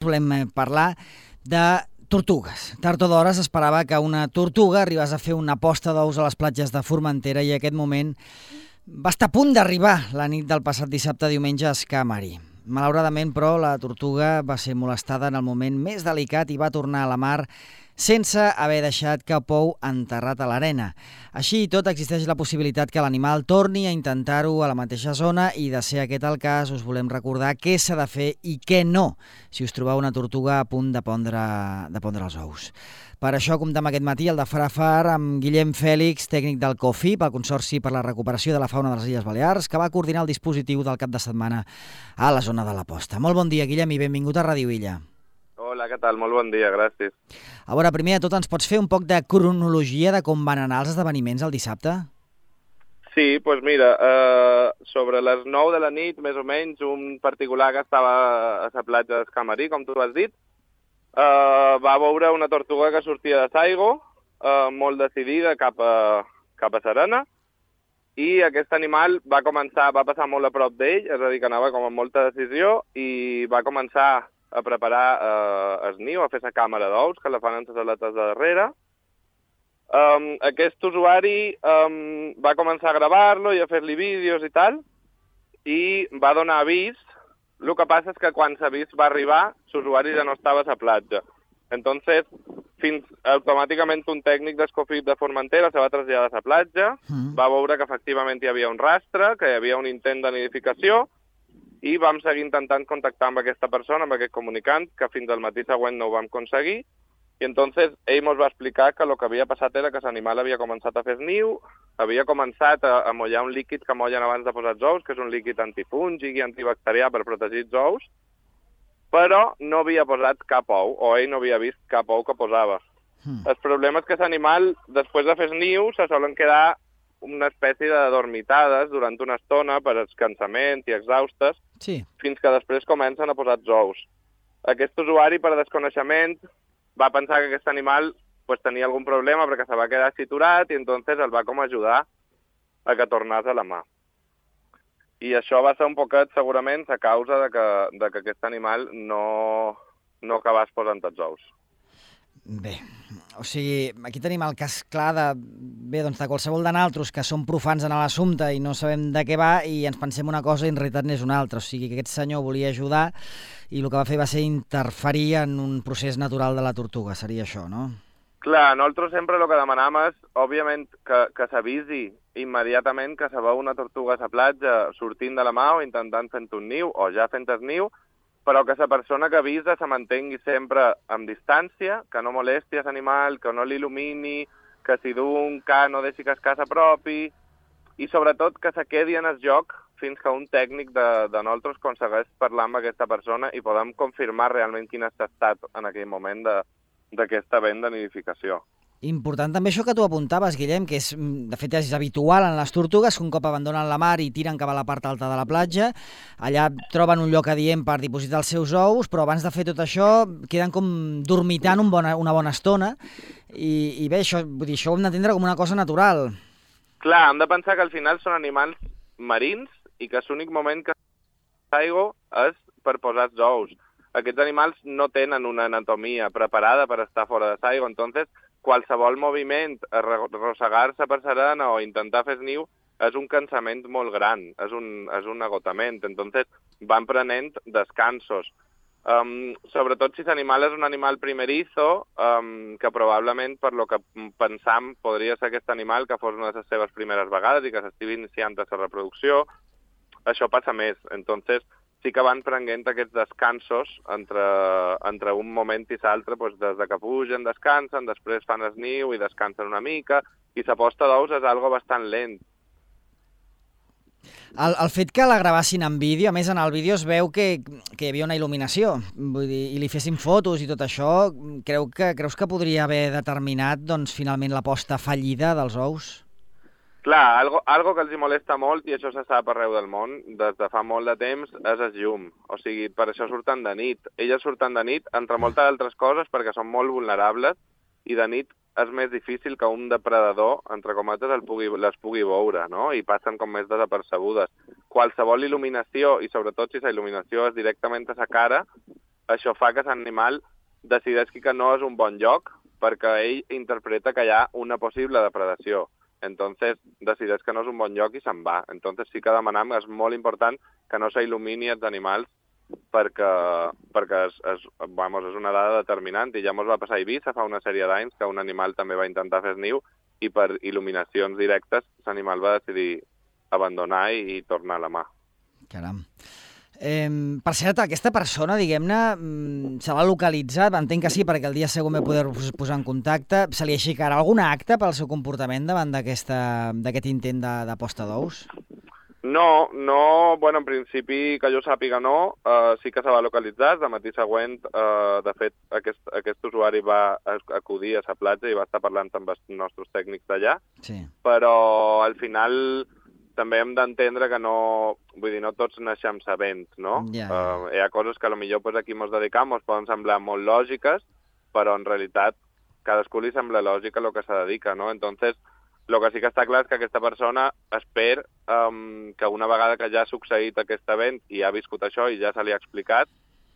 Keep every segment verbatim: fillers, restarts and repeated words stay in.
volem parlar de tortugues. Tard o d'hora s'esperava que una tortuga arribés a fer una posta d'ous a les platges de Formentera i aquest moment va estar a punt d'arribar la nit del passat dissabte diumenge a Escamari. Malauradament, però, la tortuga va ser molestada en el moment més delicat i va tornar a la mar sense haver deixat cap ou enterrat a l'arena. Així i tot, existeix la possibilitat que l'animal torni a intentar-ho a la mateixa zona i, de ser aquest el cas, us volem recordar què s'ha de fer i què no si us trobeu una tortuga a punt de pondre, de pondre els ous. Per això comptem aquest matí el de Far a Far amb Guillem Fèlix, tècnic del COFIP, el Consorci per la Recuperació de la Fauna de les Illes Balears, que va coordinar el dispositiu del cap de setmana a la zona de la posta. Molt bon dia, Guillem, i benvingut a Ràdio Illa. Hola, què tal? Molt bon dia, gràcies. A veure, primer de tot, ens pots fer un poc de cronologia de com van anar els esdeveniments el dissabte? Sí, doncs pues mira, eh, sobre les nou de la nit, més o menys, un particular que estava a la platja d'Escamarí, com tu has dit, eh, va veure una tortuga que sortia de Saigo, eh, molt decidida cap a, cap a Serena, i aquest animal va començar, va passar molt a prop d'ell, és a dir, que anava com amb molta decisió, i va començar a preparar eh, el niu, a fer la càmera d'ous, que la fan en les aletes de darrere. Um, aquest usuari um, va començar a gravar-lo i a fer-li vídeos i tal, i va donar avís. El que passa és que quan l'avís va arribar, l'usuari ja no estava a la platja. Entonces, fins automàticament un tècnic d'Escofit de Formentera se va traslladar a la platja, mm. va veure que efectivament hi havia un rastre, que hi havia un intent de nidificació, i vam seguir intentant contactar amb aquesta persona, amb aquest comunicant, que fins al matí següent no ho vam aconseguir, i entonces ell ens va explicar que el que havia passat era que l'animal havia començat a fer niu, havia començat a, a mollar un líquid que mollen abans de posar els ous, que és un líquid antifúngic i antibacterià per protegir els ous, però no havia posat cap ou, o ell no havia vist cap ou que posava. Mm. El problema és que l'animal, després de fer niu, se solen quedar una espècie de dormitades durant una estona per escansament i exhaustes, sí. Fins que després comencen a posar els ous. Aquest usuari, per desconeixement, va pensar que aquest animal pues, tenia algun problema perquè se va quedar siturat i entonces el va com ajudar a que tornés a la mà. I això va ser un poquet, segurament, a causa de que, de que aquest animal no, no acabés posant els ous. Bé, o sigui, aquí tenim el cas clar de, bé, doncs de qualsevol de nosaltres que som profans en l'assumpte i no sabem de què va i ens pensem una cosa i en realitat n'és una altra. O sigui, que aquest senyor volia ajudar i el que va fer va ser interferir en un procés natural de la tortuga. Seria això, no? Clar, nosaltres sempre el que demanam és, òbviament, que, que s'avisi immediatament que se veu una tortuga a la platja sortint de la mà o intentant fent un niu o ja fent el niu, però que la persona que avisa se mantengui sempre amb distància, que no molesti l'animal, que no l'il·lumini, que si du un ca no deixi que es casa propi, i sobretot que se quedi en el joc fins que un tècnic de, de nosaltres aconsegueix parlar amb aquesta persona i podem confirmar realment quin és l'estat en aquell moment d'aquesta vent de nidificació. Important també això que tu apuntaves, Guillem, que és, de fet és habitual en les tortugues, que un cop abandonen la mar i tiren cap a la part alta de la platja, allà troben un lloc adient per dipositar els seus ous, però abans de fer tot això queden com dormitant un bona, una bona estona, i, i bé, això, vull dir, això ho hem d'entendre com una cosa natural. Clar, hem de pensar que al final són animals marins i que l'únic moment que s'aigua és per posar els ous. Aquests animals no tenen una anatomia preparada per estar fora de l'aigua, entonces qualsevol moviment, arrossegar-se per serena o intentar fer niu és un cansament molt gran, és un, és un agotament, entonces van prenent descansos. Um, sobretot si l'animal és un animal primerizo, um, que probablement per lo que pensam podria ser aquest animal que fos una de les seves primeres vegades i que s'estigui iniciant la reproducció, això passa més, entonces sí que van prenent aquests descansos entre, entre un moment i l'altre, doncs des de que pugen, descansen, després fan el niu i descansen una mica, i la posta d'ous és algo bastant lent. El, el fet que la gravassin en vídeo, a més en el vídeo es veu que, que hi havia una il·luminació, vull dir, i li fessin fotos i tot això, creu que, creus que podria haver determinat doncs, finalment la posta fallida dels ous? Clar, algo, algo que els hi molesta molt, i això se sap arreu del món, des de fa molt de temps, és el llum. O sigui, per això surten de nit. Elles surten de nit, entre moltes altres coses, perquè són molt vulnerables, i de nit és més difícil que un depredador, entre cometes, el pugui, les pugui veure, no? I passen com més desapercebudes. Qualsevol il·luminació, i sobretot si la il·luminació és directament a la cara, això fa que l'animal decideixi que no és un bon lloc perquè ell interpreta que hi ha una possible depredació. Entonces decideix que no és un bon lloc i se'n va. Entonces sí que demanem, és molt important que no s'il·lumini els animals perquè, perquè és, és, vamos, és una dada determinant i ja mos va passar a Eivissa fa una sèrie d'anys que un animal també va intentar fer niu i per il·luminacions directes l'animal va decidir abandonar i, i tornar a la mà. Caram. Eh, per cert, aquesta persona, diguem-ne, se l'ha localitzat, entenc que sí, perquè el dia següent va poder posar en contacte. Se li aixecarà algun acte pel seu comportament davant d'aquest intent de, de posta d'ous? No, no, bueno, en principi que jo sàpiga no, uh, sí que se va localitzar, el matí següent, uh, de fet, aquest, aquest usuari va acudir a la platja i va estar parlant amb els nostres tècnics d'allà, sí. Però al final també hem d'entendre que no, vull dir, no tots naixem sabents, no? Ja, ja. Uh, hi ha coses que potser pues, aquí ens dedicam ens poden semblar molt lògiques, però en realitat cadascú li sembla lògica el que se dedica, no? Entonces, el que sí que està clar és que aquesta persona espera um, que una vegada que ja ha succeït aquest event i ha viscut això i ja se li ha explicat,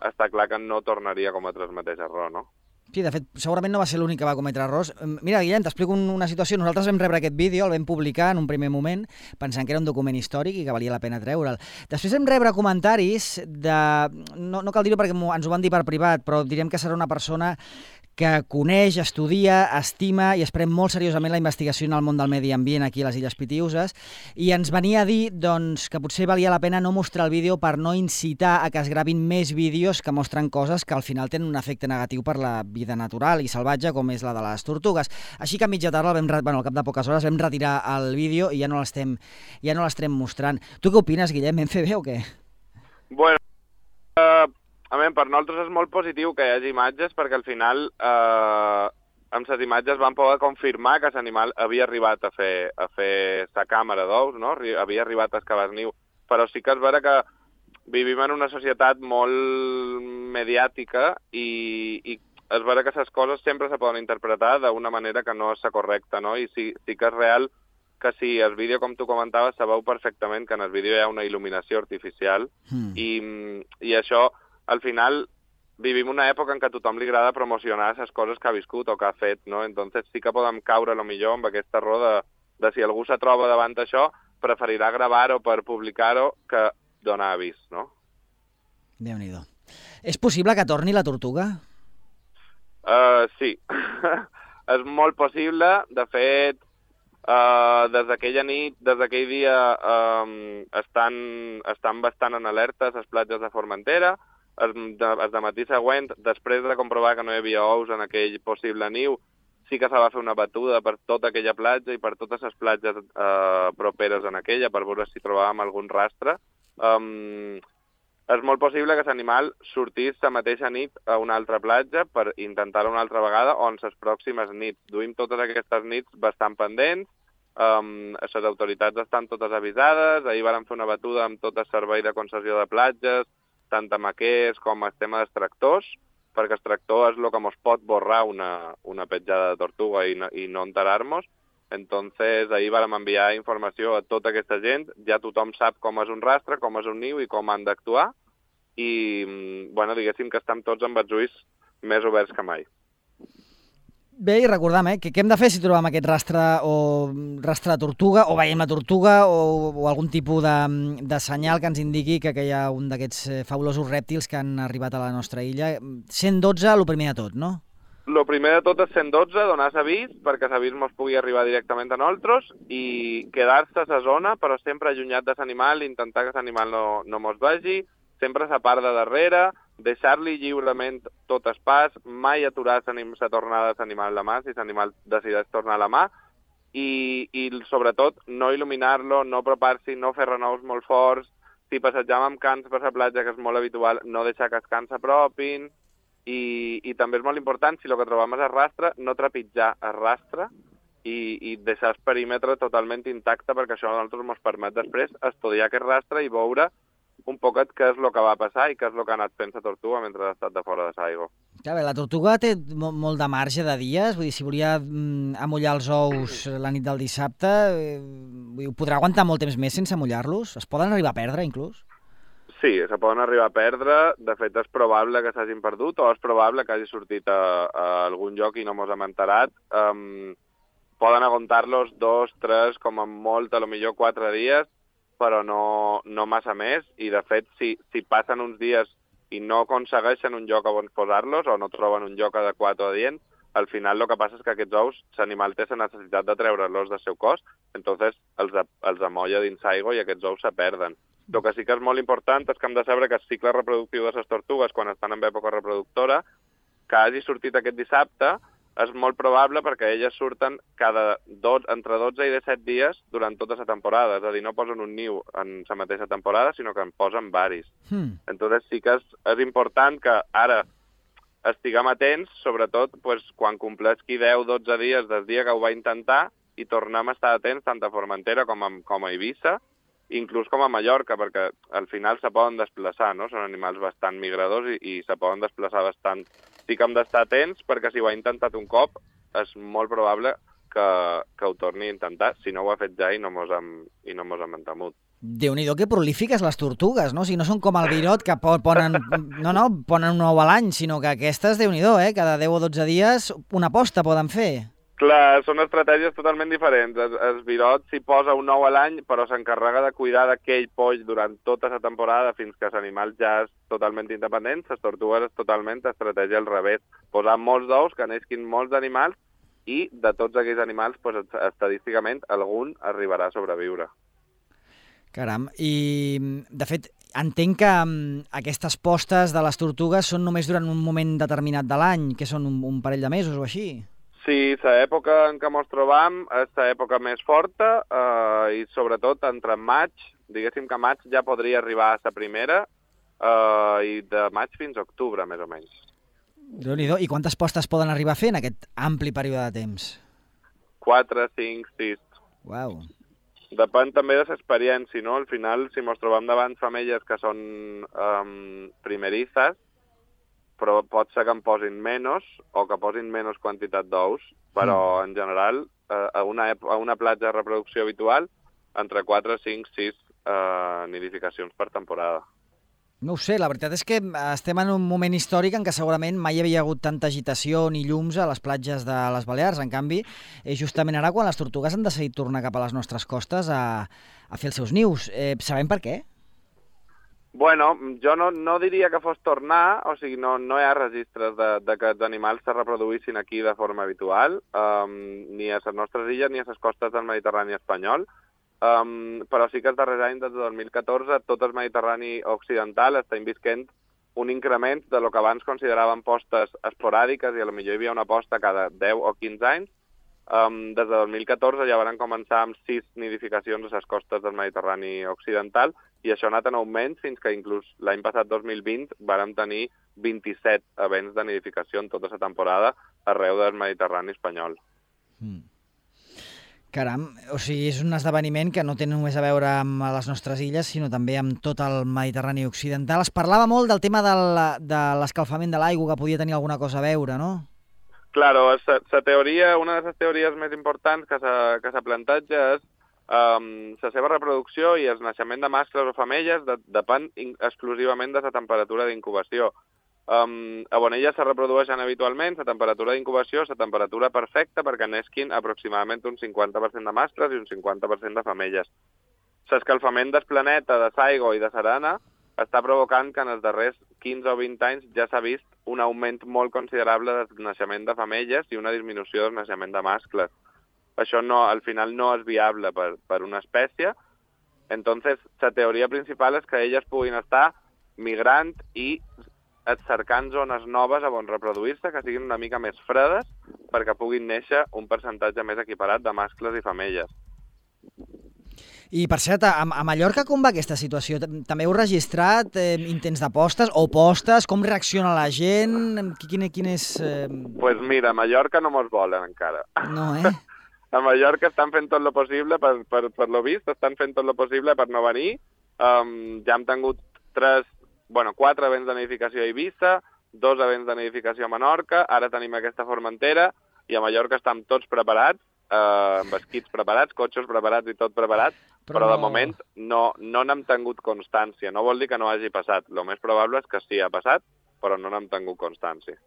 està clar que no tornaria a cometre el mateix error, no? Sí, de fet, segurament no va ser l'únic que va cometre errors. Mira, Guillem, t'explico una situació. Nosaltres vam rebre aquest vídeo, el vam publicar en un primer moment, pensant que era un document històric i que valia la pena treure'l. Després vam rebre comentaris de... No, no cal dir-ho perquè ens ho van dir per privat, però direm que serà una persona que coneix, estudia, estima i es pren molt seriosament la investigació en el món del medi ambient aquí a les Illes Pitiüses i ens venia a dir doncs, que potser valia la pena no mostrar el vídeo per no incitar a que es gravin més vídeos que mostren coses que al final tenen un efecte negatiu per la vida natural i salvatge com és la de les tortugues. Així que a mitja tarda, vam, bueno, al cap de poques hores, vam retirar el vídeo i ja no l'estem ja no l'estem mostrant. Tu què opines, Guillem? Vam fer bé o què? Bueno, uh... A veure, per nosaltres és molt positiu que hi hagi imatges perquè al final eh, amb les imatges van poder confirmar que l'animal havia arribat a fer a fer sa càmera d'ous, no? Havia arribat a excavar el niu. Però sí que és vera que vivim en una societat molt mediàtica i, i és vera que les coses sempre se poden interpretar d'una manera que no és la correcta, no? I sí, sí que és real que si el vídeo, com tu comentaves, se veu perfectament que en el vídeo hi ha una il·luminació artificial mm. i, i això... Al final vivim una època en què a tothom li agrada promocionar les coses que ha viscut o que ha fet, no? Entonces sí que podem caure, lo millor, amb aquesta raó de, de si algú se troba davant d'això, preferirà gravar-ho per publicar-ho que donar avís, no? Déu-n'hi-do. És possible que torni la tortuga? Uh, sí. És molt possible. De fet, uh, des d'aquella nit, des d'aquell dia, um, estan, estan bastant en alerta les platges de Formentera. El de, el de matí següent, després de comprovar que no hi havia ous en aquell possible niu, sí que se va fer una batuda per tota aquella platja i per totes les platges eh, properes en aquella per veure si trobàvem algun rastre. Um, és molt possible que l'animal sortís la mateixa nit a una altra platja per intentar-ho una altra vegada o en les pròximes nits. Duim totes aquestes nits bastant pendents, um, les autoritats estan totes avisades, ahir vam fer una batuda amb tot el servei de concessió de platges, tant amb aquests com el tema dels tractors, perquè el tractor és el que ens pot borrar una, una petjada de tortuga i no, i no enterar-nos. Entonces, ahir vam enviar informació a tota aquesta gent, ja tothom sap com és un rastre, com és un niu i com han d'actuar, i, bueno, diguéssim que estem tots amb els ulls més oberts que mai. Bé, i recordam, eh, que què hem de fer si trobem aquest rastre o rastre de tortuga, o veiem la tortuga, o, o algun tipus de, de senyal que ens indiqui que, que hi ha un d'aquests fabulosos rèptils que han arribat a la nostra illa. cent dotze, el primer de tot, no? El primer de tot és cent dotze, donar l'avís, perquè l'avís ens pugui arribar directament a nosaltres, i quedar-se a la zona, però sempre allunyat de l'animal, intentar que l'animal no, no mos vegi, sempre a la part de darrere, deixar-li lliurement tot el pas, mai aturar la tornada de l'animal a la mà, si l'animal decideix tornar a la mà, i, i sobretot no il·luminar-lo, no apropar-s'hi, no fer renous molt forts, si passejam amb cans per la platja, que és molt habitual, no deixar que els cans s'apropin, i, i també és molt important, si el que trobem és el rastre, no trepitjar el rastre i, i deixar el perímetre totalment intacte, perquè això a nosaltres ens permet després estudiar aquest rastre i veure un poquet què és el que va passar i què és el que ha anat fent la tortuga mentre ha estat de fora de l'aigua. Clar, bé, la tortuga té molt de marge de dies, vull dir, si volia mm, amollar els ous la nit del dissabte, eh, vull dir, podrà aguantar molt temps més sense amollar-los? Es poden arribar a perdre, inclús? Sí, se poden arribar a perdre. De fet, és probable que s'hagin perdut o és probable que hagi sortit a, a algun lloc i no mos hem enterat. Um, poden aguantar-los dos, tres, com a molt, a lo millor quatre dies, però no, no massa més. I, de fet, si, si passen uns dies i no aconsegueixen un lloc on posar-los o no troben un lloc adequat o adient, al final el que passa és que aquests ous, l'animal té la necessitat de treure-los del seu cos, entonces els, els amolla dins aigua i aquests ous se perden. El que sí que és molt important és que hem de saber que el cicle reproductiu de les tortugues, quan estan en època reproductora, que hagi sortit aquest dissabte, és molt probable perquè elles surten cada dos, entre dotze i disset dies durant tota la temporada. És a dir, no posen un niu en la mateixa temporada, sinó que en posen varis. Hmm. Entonces sí que és, és important que ara estiguem atents, sobretot pues, quan compleixi deu o dotze dies del dia que ho va intentar i tornem a estar atents tant a Formentera com a, com a Eivissa, inclús com a Mallorca, perquè al final se poden desplaçar, no? Són animals bastant migradors i, i se poden desplaçar bastant. Sí que hem d'estar atents, perquè si ho ha intentat un cop, és molt probable que, que ho torni a intentar, si no ho ha fet ja i no mos hem, i no mos hem entemut. Déu-n'hi-do que prolífiques les tortugues, no? O sigui, no són com el virot, que ponen, no, no, ponen un ou a l'any, sinó que aquestes, Déu-n'hi-do, eh? Cada deu o dotze dies una posta poden fer. Clar, són estratègies totalment diferents. El, el virot s'hi posa un ou a l'any, però s'encarrega de cuidar d'aquell poll durant tota la temporada fins que l'animal ja és totalment independent. Les tortugues és totalment estratègia al revés. Posar molts d'ous, que neixin molts animals, i de tots aquells animals, pues, estadísticament, algun arribarà a sobreviure. Caram, i de fet, entenc que um, aquestes postes de les tortugues són només durant un moment determinat de l'any, que són un, un parell de mesos o així. Sí, l'època en què ens trobam és l'època més forta eh, i sobretot entre maig, diguéssim que maig ja podria arribar a la primera eh, i de maig fins a octubre, més o menys. Déu-n'hi-do. I quantes postes poden arribar a fer en aquest ampli període de temps? Quatre, cinc, sis. Uau. Depèn també de l'experiència, no? Al final, si ens trobam davant femelles que són um, primerizes, però pot ser que en posin menys o que posin menys quantitat d'ous, però mm. en general eh, a, una, a una platja de reproducció habitual entre quatre, cinc, sis eh, nidificacions per temporada. No ho sé, la veritat és que estem en un moment històric en què segurament mai hi havia hagut tanta agitació ni llums a les platges de les Balears. En canvi, és justament ara quan les tortugues han decidit tornar cap a les nostres costes a, a fer els seus nius. Eh, sabem per què? Bueno, jo no, no diria que fos tornar, o sigui, no, no hi ha registres de, de que els animals se reproduïssin aquí de forma habitual, um, ni a les nostres illes ni a les costes del Mediterrani espanyol, um, però sí que els darrers anys, des de dos mil catorze, tot el Mediterrani occidental està visquent un increment de lo que abans consideraven postes esporàdiques, i a lo millor hi havia una posta cada deu o quinze anys. Um, des de dos mil catorze ja van començar amb sis nidificacions a les costes del Mediterrani occidental, i això ha anat en augment fins que inclús l'any passat, dos mil vint, vàrem tenir vint-i-set events de nidificació en tota la temporada arreu del Mediterrani espanyol. Mm. Caram, o sigui, és un esdeveniment que no té només a veure amb les nostres illes, sinó també amb tot el Mediterrani occidental. Es parlava molt del tema del, de l'escalfament de l'aigua, que podia tenir alguna cosa a veure, no? Claro, la teoria, una de les teories més importants que s'ha plantejat és um, la seva reproducció i el naixement de mascles o femelles de, depèn exclusivament de la temperatura d'incubació. Um, on elles se reprodueixen habitualment, la temperatura d'incubació és la temperatura perfecta perquè nesquin aproximadament un cinquanta per cent de mascles i un cinquanta per cent de femelles. L'escalfament del planeta, de l'aigua i de l'arena està provocant que en els darrers quinze o vint anys ja s'ha vist un augment molt considerable del naixement de femelles i una disminució del naixement de mascles. Això no, al final no és viable per, per una espècie. Entonces, la teoria principal és que elles puguin estar migrant i cercant zones noves on reproduir-se, que siguin una mica més fredes, perquè puguin néixer un percentatge més equiparat de mascles i femelles. I, per cert, a, a Mallorca com va aquesta situació? També heu registrat eh, intents de postes o postes? Com reacciona la gent? Quin, quin és... Eh... Pues mira, a Mallorca no mos volen encara. No, eh? A Mallorca estan fent tot lo possible, per, per, per lo vist, estan fent tot lo possible per no venir. Um, ja hem tingut tres, bueno, quatre events de nidificació a Eivissa, dos events de nidificació a Menorca, ara tenim aquesta Formentera, i a Mallorca estem tots preparats. eh, amb esquits preparats, cotxes preparats i tot preparat, però, però de no... moment no no n'hem tingut constància. No vol dir que no hagi passat. El més probable és que sí, ha passat, però no n'hem tingut constància.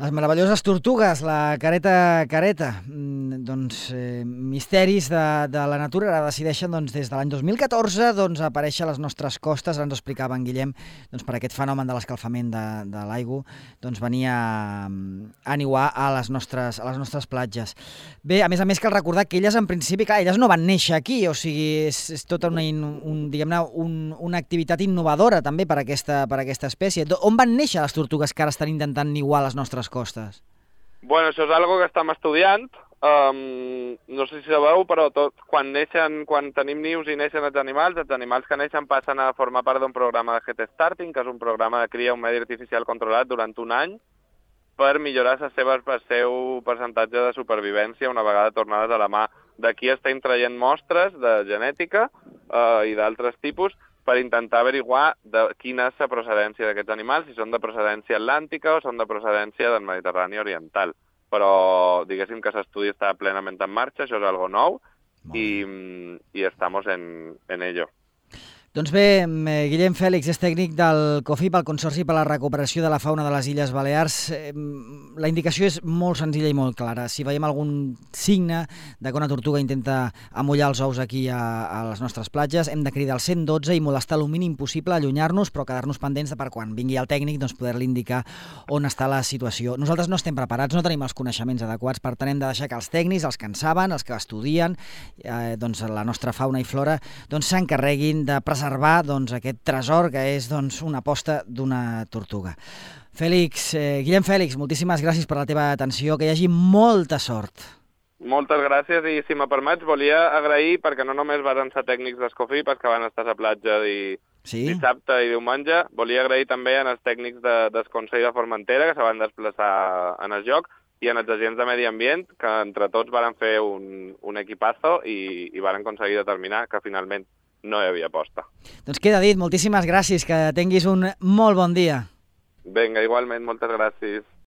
Les meravelloses tortugues, la careta careta, mm, doncs eh, misteris de, de la natura, ara decideixen doncs, des de l'any dos mil catorze doncs, aparèixer a les nostres costes. Ara ens explicava en Guillem, doncs, per aquest fenomen de l'escalfament de, de l'aigua, doncs venia a niuar a les, nostres, a les nostres platges. Bé, a més a més cal recordar que elles en principi, clar, elles no van néixer aquí, o sigui, és, és tota una, un, diguem-ne, un, una activitat innovadora també per aquesta, per aquesta espècie. On van néixer les tortugues que ara estan intentant niuar a les nostres costes? Bueno, això és algo que estem estudiant. Um, no sé si sabeu, però tot, quan neixen, quan tenim nius i neixen els animals, els animals que neixen passen a formar part d'un programa de Head Starting, que és un programa de cria un medi artificial controlat durant un any per millorar les seves, el seu percentatge de supervivència una vegada tornades a la mà. D'aquí estem traient mostres de genètica uh, i d'altres tipus per intentar averiguar de quina és la procedència d'aquests animals, si són de procedència atlàntica o són de procedència del Mediterrani oriental. Però diguéssim que l'estudi està plenament en marxa, això és algo nou, i, i estamos en, en ello. Doncs bé, Guillem Fèlix és tècnic del COFIP, el Consorci per a la Recuperació de la Fauna de les Illes Balears. La indicació és molt senzilla i molt clara. Si veiem algun signe de que una tortuga intenta amollar els ous aquí a, a les nostres platges, hem de cridar al cent dotze i molestar el mínim possible, allunyar-nos, però quedar-nos pendents de per quan vingui el tècnic doncs poder-li indicar on està la situació. Nosaltres no estem preparats, no tenim els coneixements adequats, per tant hem de deixar que els tècnics, els que en saben, els que estudien eh, doncs, la nostra fauna i flora, doncs s'encarreguin de preservar preservar doncs, aquest tresor que és doncs, una posta d'una tortuga. Fèlix, eh, Guillem Fèlix, moltíssimes gràcies per la teva atenció, que hi hagi molta sort. Moltes gràcies i, si me permets, volia agrair, perquè no només van ser tècnics d'Escofip els que van estar a la platja di, sí? dissabte i diumenge, volia agrair també als tècnics de, del Consell de Formentera que se van desplaçar en el joc i en els agents de medi ambient, que entre tots van fer un, un equipazo i, i van aconseguir determinar que finalment no hi havia posta. Doncs queda dit, moltíssimes gràcies, que tinguis un molt bon dia. Vinga, igualment, moltes gràcies.